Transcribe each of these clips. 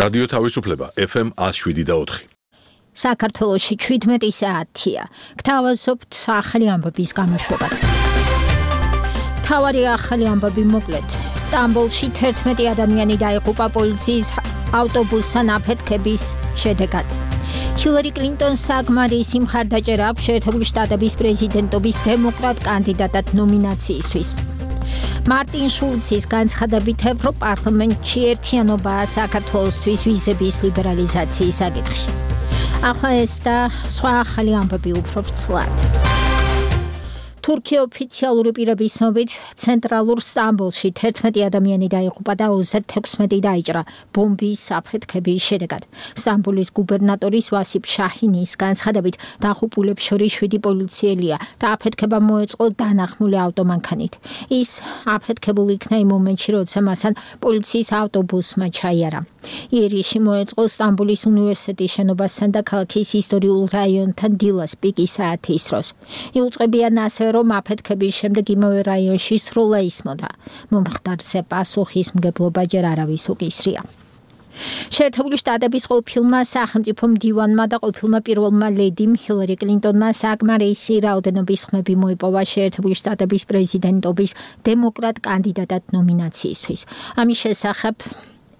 რადიო თავისუფლება FM 107.4. საქართველოში 17 საათია. გთავაზობთ ახალი ამბების გამოშვებას. თავარი ახალი ამბები მოკლედ. სტამბოლში 11 ადამიანი დაიღუპა პოლიციის ავტობუსთან აფეთქების შედეგად. ჰილარი კლინტონს საკმარისი მხარდაჭერა აქვს შეერთებული შტატების პრეზიდენტობის დემოკრატ კანდიდატად ნომინაციისთვის. მარტინ შულცის განცხადებით ევროპარლამენტში ერთიანობაა საქართველოსთვის ვიზების ლიბერალიზაციის საკითხში. ახლა ეს და სხვა ახალი ამბები უფრო ვრცლად. თურქია ოფიციალური პირების ცნობით ცენტრალურ სტამბოლში 11 ადამიანი დაიღუპა და 36 დაიჭრა ბომბის აფეთქების შედეგად. სტამბოლის გუბერნატორის ვასიპ შაჰინის განცხადებით დაღუპულებს შორის 7 პოლიციელია და აფეთქება მოეწყო დანახმული ავტომანქანით. ის აფეთქებული იქნა იმ მომენტში, როცა მასთან პოლიციის ავტობუსმა ჩაიარა. იერიში მოეწყო სტამბოლის უნივერსიტეტის შენობასთან და ქალაქის ისტორიულ რაიონთან დილას პიკის საათის დროს. იუწყებიან ასევე რომ აფეთქების შემდეგ იმავე რაიონში სროლა ისმოდა. მომხდარზე პასუხისმგებლობა ჯერ არავის უკისრია. შეერთებული შტატების ყოფილმა სახელმწიფო მდივანმა და ყოფილმა პირველმა ლედიმ ჰილარი კლინტონმა საკმარისი რაოდენობის ხმები მოიპოვა შეერთებული შტატების პრეზიდენტობის დემოკრატ კანდიდატად ნომინაციისთვის. ამის შესახებ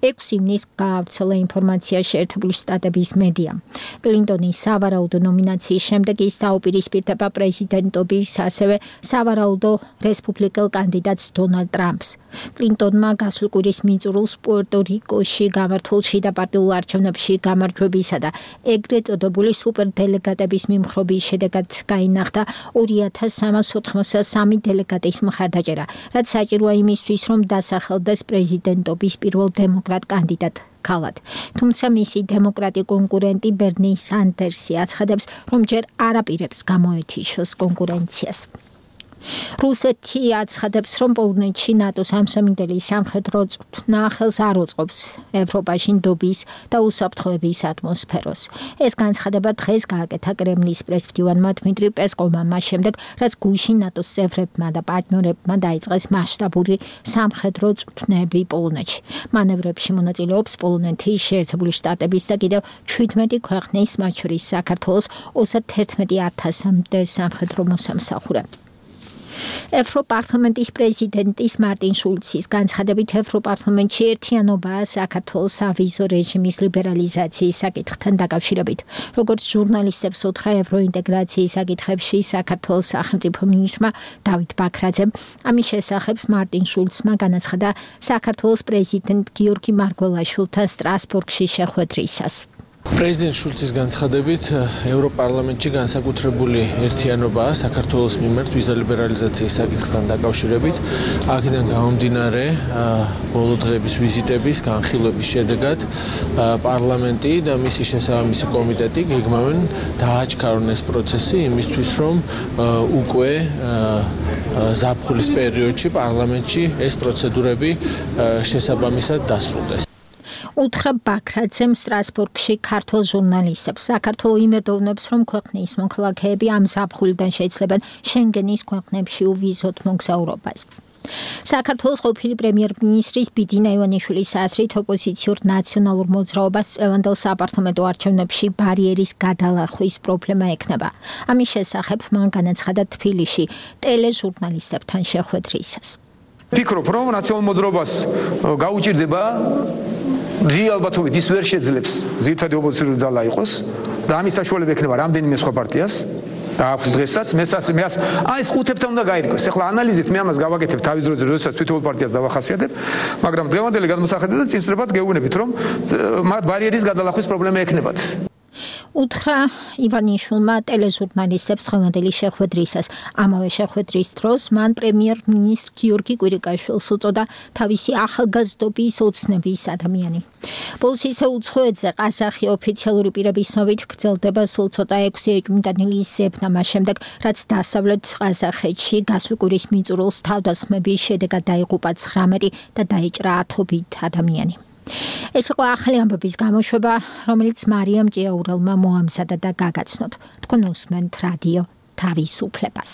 6 ივნისს გაავრცელა ინფორმაცია შეერთებული შტატების მედიამ. კლინტონის სავარაუდო ნომინაციის შემდეგ ის დაუპირისპირდება პრეზიდენტობის, ასევე სავარაუდო რესპუბლიკელ კანდიდატს დონალდ ტრამპს. კლინტონმა გასულ კვირის მიწურულს პუერტო-რიკოში გამართულ შიდა პარტიულ არჩევნებში გამარჯვებისა და ეგრეთ წოდებული სუპერდელეგატების მიმხრობის შედეგად გაინახდა 2383 დელეგატის მხარდაჭერა, რაც საჭიროა იმისთვის, რომ დასახელდეს პრეზიდენტობის პირველ დემოკრატ კანდიდატ ქალად. თუმცა მისი დემოკრატი კონკურენტი ბერნი სანდერსი აცხადებს, რომ ჯერ არ აპირებს გამოეთიშოს კონკურენციას. რუსეთი აცხადებს, რომ პოლონეთში ნატოს ამსამინდელი სამხედრო წვრთნა ხელს არ უწყობს ევროპაში ნდობის და უსაფრთხოების ატმოსფეროს. ეს განცხადება დღეს გააკეთა კრემლის პრესმდივანმა დმიტრი პესკოვმა მას შემდეგ, რაც გუშინ ნატოს წევრებმა და პარტნიორებმა დაიწყეს მასშტაბური სამხედრო წვრთნები პოლონეთში. მანევრებში მონაწილეობს პოლონეთი, შეერთებული შტატების და კიდევ 17 ქვეყნის, მათ შორის საქართველოს 31000-მდე სამხედრო მოსამსახურე. ევროპარლამენტის პრეზიდენტის მარტინ შულცის განცხადებით ევროპარლამენტში ერთიანობაა საქართველოს ავიზო რეჟიმის ლიბერალიზაციის საკითხთან დაკავშირებით. როგორც ჟურნალისტებს უთხრა ევროინტეგრაციის საკითხებში საქართველოს სახელმწიფო მინისტრმა დავით ბაქრაძემ, ამის შესახებ მარტინ შულცმა განაცხადა საქართველოს პრეზიდენტ გიორგი მარგველაშვილთან სტრასბურგში შეხვედრისას. პრეზიდენტ შულცის განცხადებით ევროპარლამენტში განსაკუთრებული ერთიანობაა საქართველოს მიმართ ვიზა ლიბერალიზაციის საკითხთან დაკავშირებით. აქედან გამომდინარე ბოლო დღეების ვიზიტების განხილვების შედეგად პარლამენტი და მისი შესაბამისი კომიტეტი გეგმავენ დააჩქარონ ეს პროცესი იმისთვის, რომ უკვე ზაფხულის პერიოდში პარლამენტში ეს პროცედურები შესაბამისად დასრულდეს. უთხრა ბაქრაძემ სტრასბურგში ქართულ ჟურნალისტებს. საქართველო იმედოვნებს, რომ ქვეყნის მოქალაქეები ამ ზაფხულიდან შეძლებენ შენგენის ქვეყნებში უვიზოთ მოგზაურობას. საქართველოს ყოფილი პრემიერ-მინისტრის ბიძინა ივანიშვილის აზრით ოპოზიციურ ნაციონალურ მოძრაობას წლევანდელ საპარლამენტო არჩევნებში ბარიერის გადალახვის პრობლემა ექნება. ამის შესახებ მან განაცხადა თბილისში ტელეჟურნალისტებთან შეხვედრისას. ფიქრობ, რომ ნაციონალურ მოძრაობას გაუჭირდება დი ალბათობით ის ვერ შეძლებს ძირითადი ოპოზიციური ძალა იყოს და ამის საშუალება ექნება რამდენიმე სხვა პარტიას და აქვს დღესაც მე ეს ხუთებთან უნდა გაირკვეს. ახლა ანალიზით მე ამას გავაკეთებ თავის დროზე, როდესაც თვითონ პარტიას დავახასიათებ, მაგრამ დღევანდელი გადმოსახედით და წინსწრებად გეუბნებით, რომ მათ ბარიერის გადალახვის პრობლემა ექნებათ. უთხრა ივანიშვილმა ტელეჟურნალისტებს დღევანდელი შეხვედრისას. ამავე შეხვედრის დროს მან პრემიერ-მინისტრ გიორგი კვირიკაშვილს უწოდა თავისი ახალგაზრდობის ოცნების ადამიანი. პოლიციის უცხოეთზე ყაზახი ოფიციალური პირების ცნობით გრძელდება სულ ცოტა 6 ეჭვმიტანილი ზებნა მას შემდეგ, რაც დასავლეთ ყაზახეთში გასულ კვირის მიწურულს თავდასხმების შედეგად დაიღუპა 19 და დაიჭრა 10 ადამიანი. ეს იყო ახალი ამბების გამოშვება, რომელიც მარიამ ჭიაურელმა მოამზადა და გაგაცნოთ. თქვენ უსმენთ რადიო თავისუფლებას.